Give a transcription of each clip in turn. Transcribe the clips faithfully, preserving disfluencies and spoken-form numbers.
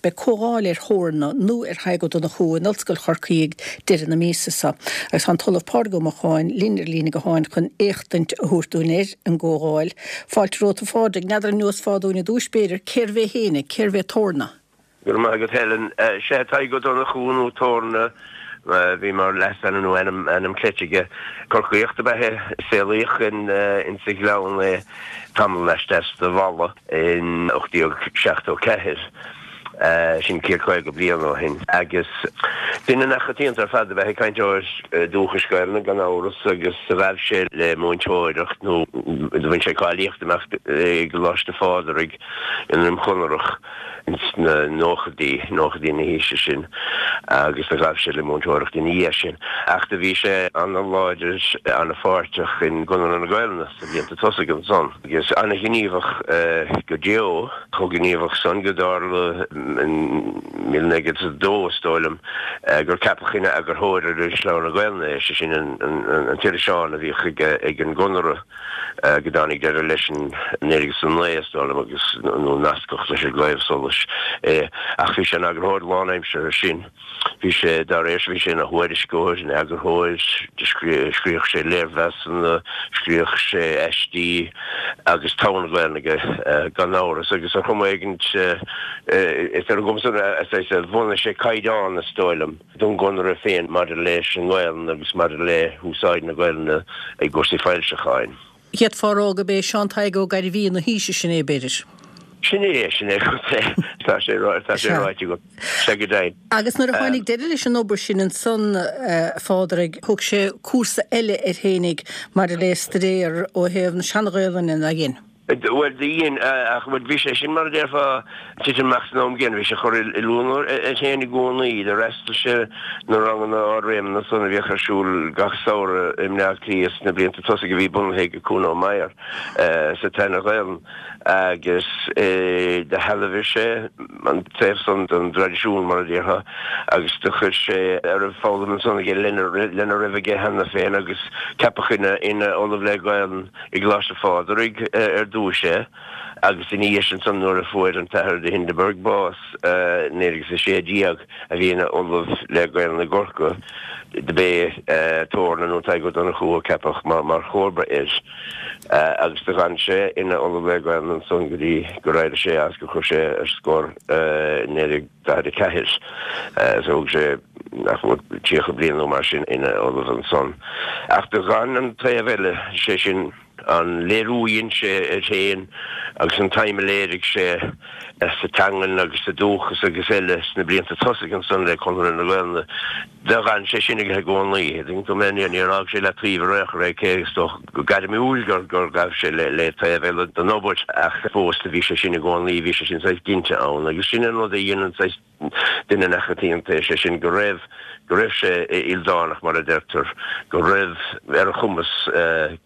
Beidh comhdháil ar Thorna nó ar Thadhg Ó Donnchú in Ollscoil Chorcaí ag deireadh na míosa seo agus tá an tOllamh Pádraig Ó Mocháin linn ar líne gutháin chun éachtaint a thabhairt dúinn ar an gcomhdháil. Fáilte romhat a Phádraig, n'fheadar an neosfá dúinn i dtús b'fhéidir cérbh é féin, cérbh é Torna? Go raibh maith agat Helen. Sea, Tadhg Ó Donnchú nó Torna bhí mar leasainm nó ainm ainm cleite aige. Corcaíoch ab ea é, saolaíodh in insa Ghleann é tamall laisteas de Mhala in ocht déag seachtó ceathair, sin céad caoga bliain ó shin, agus duine neamhchoitianta ar fad ab ea é, cainteoir dúchais Gaelainne gan amhras, agus ghabh sé le múinteoireacht nó do bhain sé cáilíocht amach i gColáiste Phádraig i nDroim Chonrach. ins na nóchaidí, nóchaidí na haoise sin agus do ghabh sé le múinteoireacht ina dhiaidh sin. Ach do bhí sé ana-láidir, ana-pháirteach in gConradh na Gaelainne sna blianta tosaigh ansan agus ana-ghníomhach go deo, chomh gníomhach san go dtarla in míle naoi gcéad is a dó, is dóigh liom, gur ceapadh ina eagarthóir ar Irisleabhar na Gaelainne é, sé sin an t-iriseán a bhíodh ag an gConradh. go dtáinig deireadh leis in naoi déag is a naoi, is dóigh liom, agus nó nascadh leis an gCraobh Solais é. Ach bhí sé ina eagarthóir lánaimseartha sin. Bhí sé, dá réir sin, bhí sé ina thuairisceoir, ina eagarthóir, scríobhadh sé léirmheasanna, scríobhadh sé aistí agus togha na Gaelainne aige, gan amhras. Agus ar chuma éigin, is ar an gcuma san a bhunaigh sé caighdeán, is dóigh liom. don gConradh féin maidir leis an nGaelainn agus maidir le húsáid na Gaelainne i gcúrsaí foilseacháin. D'fhéadfá a rá gurb é Seán Tadhg Ó Gairbhí na haoise sin é, b'fhéidir. Sin é, sin é, tá sé tá sé ráite agat, sea go deimhin. Agus nuair a tháinig deireadh leis an obair sin ansan, a Phádraig, thug sé cúrsa eile air fhéinig maidir le staidéar ó thaobh na Sean-Ghaelainne, nár dhein? Bhuel, do dhein, ach bhuel, bhí sé sin, mar a déarfá, titim amach san am gcéanna. Bhí sé ag cur oiliúna air féin i gcónaí. D'fhreastail sé na ranganna ardréimeanna san a bhíodh ar siúl gach samhradh i mBleá Cliath sna blianta tosaigh a bhí bunaithe ag Kuno Meyer sa tSeana-Ghaelainn agus do shealbhaigh sé an taobh san den dtraidisiún, mar a déarfá, agus do chuir sé a raibh foghlamtha ansan aige lena lena raibh aige cheana féin agus ceapadh ina ina Ollamh le Gaelainn i gColáiste Phádraig ar dtúis é agus ina dhiaidh sin ansan nuair a fuair an tAthair de Hindeberg bás i naoi déag is a sé déag a bhí ina Ollamh le Gaelainn i gCorcaigh do b'é Torna nó Tadhg Ó Donnchú a ceapadh mar chomharba air agus do dh'fhan sé ina Ollamh le Gaelainn ansan go dtí gur éirigh sé as gur chuir sé ar scor i naoi déag daichead a ceathair. So thug sé nach mór tríocha bliain nó mar sin ina ollamh ansan. Ach do dh'fhan an taobh eile, sé sin an léiriú a dhein sé air féin agus an tsuim a léirigh sé sa teangain agus sa dúchas agus eile sna blianta tosaigh ansan le Conradh na Gaelainne, do dh'fhan sé sin aige i gcónaí. Tuigeann tú mé, níor fhág sé leataobh ar aon chor é, cé is dócha go gairmiúil gur gur ghabh sé le taobh eile den obair ach fós do bhí sé sin i gcónaí, bhí sé sin saghas ginte ann agus sin an rud a dhéanann saghas duine neamhchoitianta, sé sin go raibh, go raibh sé ildánach mar a deirtear, go raibh ar a chumas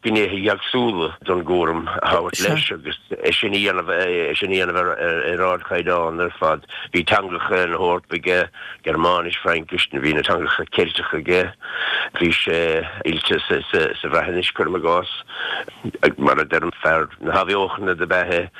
gnéithe éagsúla den gcúram a thabhairt leis agus é sin a dhéanamh, é sin a dhéanamh ar ardchaighdeán ar fad. Bhí teangacha na hEorpa aige, Gearmáinis, Fraincis, bhí na teangacha Ceilteacha aige, bhí sé oilte sa Bhreatnais, cuirim i gcás, mar a deirim, fear na hathbheochana dob ea é.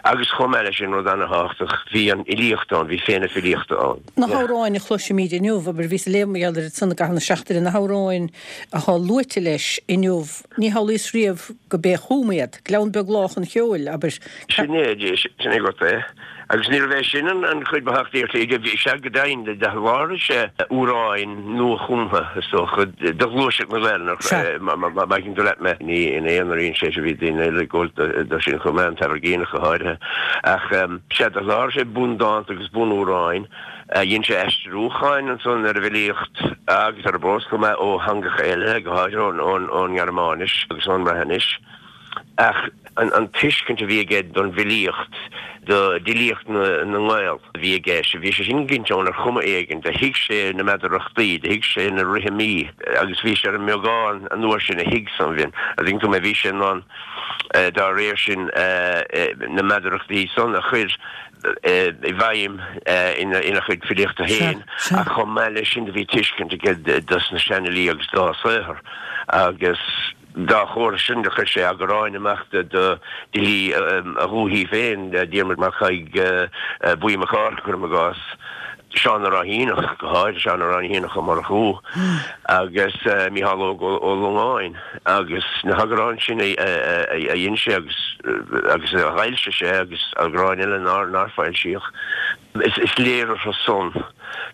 Agus chomh maith leis sin, rud ana-thábhachtach, bhí an fhilíocht ann, bhí féith na filíochta ann. Na hamhráin a chloisimid inniu, abair, bhíos ag léamh mar gheall air ansan i gcaitheamh na seachtaine, na hamhráin atá luaite leis inniu, ní shamhlaíos riamh go b'é a chum iad. Gleann Beag Lách an Cheoil, abair. Sin é, sin é agat é. Agus níorbh é sin an chuid ba thábhachtaí ar shlí, bhí sé go deimhin, do sholáthraigh sé amhráin nua-chumtha, is dócha, do ghluaiseacht na Gaelainne, má thuigeann tú leat mé. Ní ina aonar a dhein sé sin, bhí daoine eile ag gabháil dó sin chomh maith, an tAimhirgíneach go háirithe. Ach sea, do sholáthraigh sé bundánta agus bunamhráin. Dhein sé aistriúcháin ansan ar an bhfilíocht agus ar an bprós chomh maith ó theangacha eile, go háirithe ón nGearmáinis agus ón mBreatnais. Ach an tuiscint a bhí aige don bhfilíocht, d'fhilíocht na nGael a bhí aige, bhí sé sin ginte ann ar chuma éigin, do thuig sé na meadarachtaí, do thuig sé na rithimí agus bhí sé ar an mbeagán an uair sin a thuig san bhinn. An dtuigeann tú mé, bhí sé in ann dá réir sin na meadarachtaí san a chur i bhfeidhm ina chuid filíochta féin ach chomh maith leis sin do bhí tuiscint aige dos na seanfhilí agus dá saothar agus. Dá chomhair sin do chuir sé eagráin amach d'fhilí a dhúichí féin, Diarmaid Mac Thaidhg Buí Mac Cárthaigh, cuirim i gcás, Seán na Ráithíneach, go háirithe Seán na Ráithíneach Ó Murchú agus Mícheál Óg Ó Longáin agus na heagráin sin a dhein sé agus agus a dh'fhoilsigh sé agus eagráin eile nár nár foilsíodh. Is léir orthu san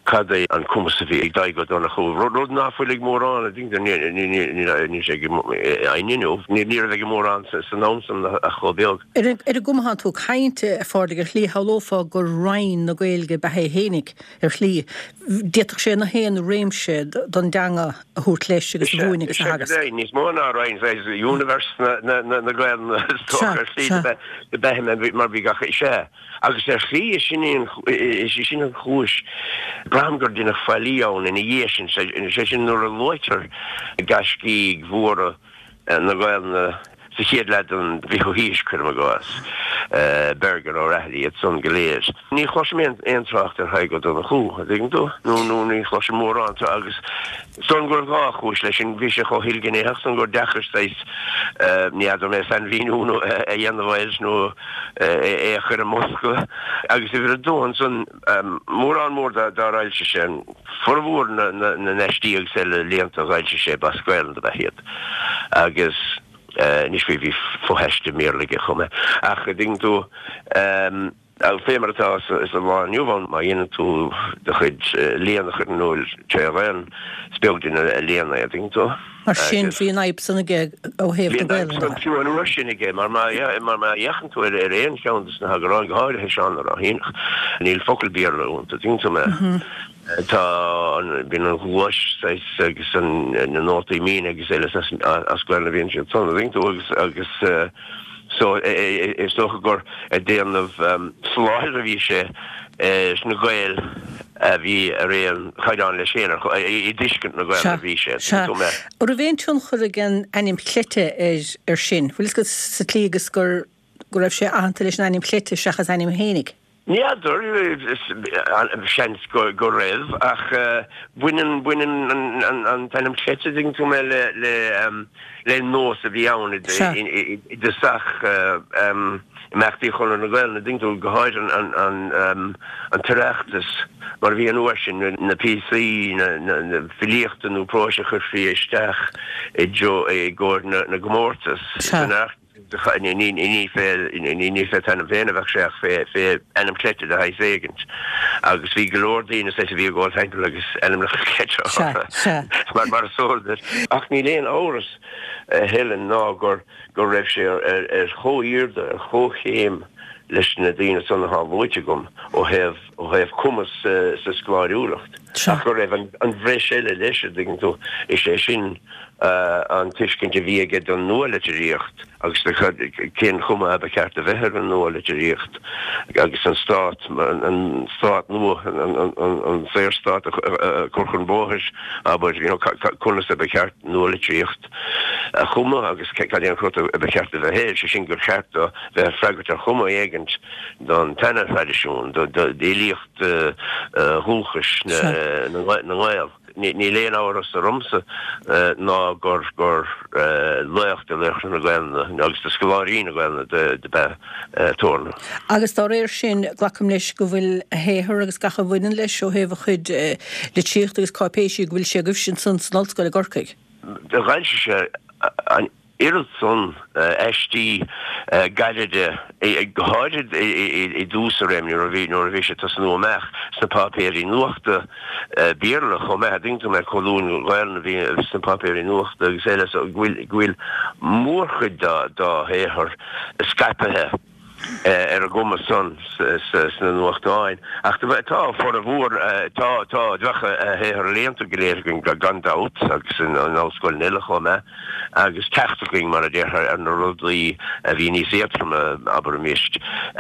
cad é an cumas a bhí ag Tadhg Ó Donnchú, rud ná fuil ag mórán, níl sé ag éinne inniu, ní raibh ag mórán san am san ach chomh beag. Ar an gcuma atánn tú ag caint, a Phádraig, ar shlí shamhlófá gur roinn na Gaeilge ab ea é fhéinig, ar shlí. D'fhéadfadh sé na haon réimse don dteanga a thabhairt leis agus a mhúineadh agus a theagasc. Sea, níos mó ná roinn, universe na Gaelainne is dócha ar shlí do b'ea mar bhí gach, sea. Agus ar shlí is sin í an, is í sin an chúis, braithim gur deineadh faillí ann ina dhiaidh sin, sé sin nuair a luaitear gaiscígh mhóra na Gaelainne sa chéad leath den bhfichiú haois, cuirim i gcás, Bergin, O'Rahilly, iad san go léir. Ní chloisim aon trácht ar Thadhg Ó Donnchú, an dtuigeann tú, nó nó ní chloisim mórán agus is dóigh liom go raibh dhá chúis leis sin, bhí sé chomh hilghnéitheach san gur deacair saghas, ní fheadar mé, sainmhíniú a dhéanamh air nó é a chur i mbosca. Agus uimhir a dó ansan, mórán mór dár fhoilsigh sé, formhór na n-aistí agus eile léannta a dh'fhoilsigh sé, b'as Gaelainn do b'ea iad. Agus anois bhí fo-aiste i mBéarla aige chomh maith. Ach an dtuigeann tú, Fé mar atá sa lá inniu ann, má dhéanann tú do chuid léann a chur in iúl tré Ghaelainn, is beag duine a léann é, an dtuigeann tú. Mar sin, bhí an fhadhb san aige ó thaobh na Gaelainne de. Bhí an fhadhb san fiú an uair sin aige, mar má fhéachann tú ar aon cheann de na heagráin, go háirithe Seán na Ráithíneach, níl focal Béarla iontu, an dtuigeann tú mé. Tá an, bíonn an ghluais saghas agus na nótaí míne agus eile as Gaelainn a bhíonn siad san, an dtuigeann tú, agus, agus. So, is dócha gur ag déanamh soláthair a bhí sé ar na Gaeil a bhí ar aon chaighdeán leis féin, i dtuiscint na Gaelainne a bhí sé. Sea. An raibh aon tionchar ag an ainm chleite air sin? Bhfuil fhios agat sa tslí agus gur go raibh sé aitheanta leis an ainm chleite seachas ainm fhéinig? Ní fheadar, seans go raibh, ach baineann baineann an t-ainm cleite, an dtuigeann tú mé, le le nós a bhí ann i dtosach imeachtaí Chonradh na Gaelainne, an dtuigeann tú, go háirithe an tOireachtas mar a bhí an uair sin, na píosaí na filíochta nó próis a chuirfí isteach i gcomhair na gcomórtas san Oireachtas. Ní ní fé t'ainm féin a bheadh sé ach fé fé ainm cleite de shaghas éigint. Agus bhí go leor daoine saghas a bhí ag gabháil timpeall agus ainmneacha cleite orthu mar mar is eol duit. Ach níl aon amhras a Helen ná gur go raibh sé ar ar chomhairde, ar chomhchéim leis na daoine san atá luaite agam ó thaobh ó thaobh cumas sa scoláiriúlacht. Ach go raibh an an bhreis eile leis, an dtuigeann tú, is é sin an tuiscint a bhí aige don nua-litríocht agus do cén chuma a ba cheart a bheith ar an nua-litríocht agus an stát, an stát nua, an Saorstát a chur chun bóthair, abair, you know, conas a ba cheart nua-litríocht a chumadh agus cad é an cruth a ba cheart a bheith air, sé sin gur cheart dó bheith ag freagairt ar chuma éigint don tseana-thraidisiún, d'fhilíocht dhúchais na nGael. Níl aon amhras ormsa ná gur laoch de laochra na Gaelainne agus de scoláirí na Gaelainne dob ea Torna. Agus dá réir sin, glacaim leis go bhfuil a shaothar agus gach a bhaineann leis ó thaobh a chuid litríochta agus cáipéisí, go bhfuil sé agaibhse ansan san Ollscoil i gCorcaigh. D'fhoilsigh sé an oiread san aistí gairide, go háirid i dtús a réime nuair a bhí nuair a bhí sé ag tosnú amach sna páipéirí nuachta Béarla chomh maith, an dtuigeann tú mé, colúin Ghaelainne a bhí sna páipéirí nuachta agus eile, so go bhfuil go bhfuil mórchuid dá dá shaothar scaipthe. ar an gcuma san sna nuachtáin. Ach tá formhór, tá, tá, bheadh a shaothar léannta go léir againn gan dabht agus in ollscoileanna eile chomh maith agus teacht againn, mar a déarfá, ar na rudaí a bhí níos éadtroime, abraimis,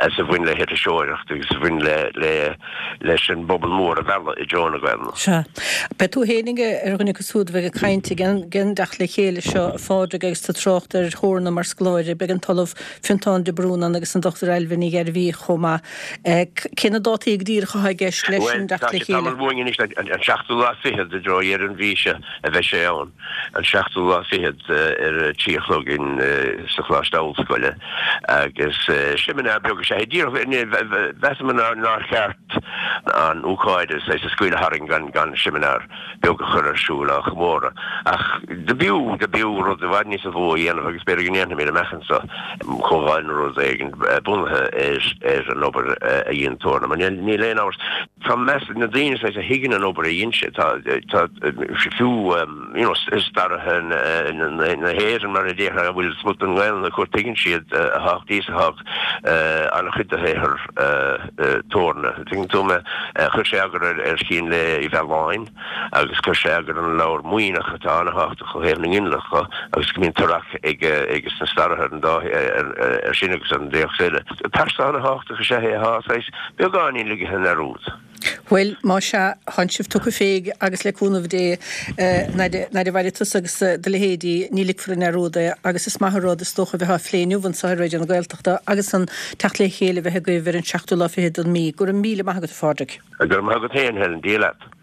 is a bhain le hiriseoireacht agus a bhain le, le, leis an bpobal mór a mhealladh i dtreo na Gaelainne. Sea. Beidh tú fhéinig ar dhuine acu siúd a bheidh ag caint ag an dteacht le chéile seo, a Phádraig, agus tú ag trácht ar Thorna mar scoláire. Beidh an tOllamh Fionntán de Brún ann agus an Dochtúir Dochtúir Ailbhe Ní Ghairbhí chomh maith. Cé na dátaí go díreach atá i gceist leis an dteacht le chéile? Bhuel, tá sé tamall uainn anois, an seachtú lá fichead i dtreo dheireadh an mhí seo a bheidh sé ann, an seachtú lá fichead ar a trí a chlog in sa Choláiste Ollscoile agus seimineár beag is ea é. Díreach, mheasamar nár cheart an ócáid a scaoileadh tharainn gan gan seimineár beag a chur ar siúl á chomóradh. Ach do b'fhiú, do b'fhiú rud i bhfad níosa mhó a dhéanamh agus b'fhéidir go ndéanfaimid amach anso comhdháil nó rud éigin bunaithe ar an obair a dhein Torna. Mar níl aon amhras, tá meas ag na daoine saghas a thuigeann an obair a dhein sé, tá, tá fiú you know staraithe na hÉireann mar a déarfá a bhfuil smut den nGaelainn acu, tuigeann siad a thábhachtaí is atá an-chuid de shaothar Torna. Tuigeann tú mé, chuir sé eagar ar Chín Lae Uí Mhealláin agus chuir sé eagar ar an leabhar Muimhneach atá an-thábhachtach ó thaobh na nginealach dho agus go mbíonn tarrac ag ages na staraithe ar an dá ar sin agus ar an dtéacs eile. Pearsa an-thábhachtach is ea é atá saghas beagáinín ligthe i ndearúd. Bhuel, má sea, thánn sibh tugtha fé agus le cúnamh Dé, nuair a mhairfidh tusa agus do leithéidí, ní ligfear i ndearúd é agus is maith an rud is dócha a bheith á phlé inniu anseo ar Raidió na Gaeltachta agus an teacht le chéile a bheith agaibh ar an seachtú lá fichead den mhí. Go raibh míle maith agat, a Phádraig. Go raibh maith agat féin, Helen. Dia leat.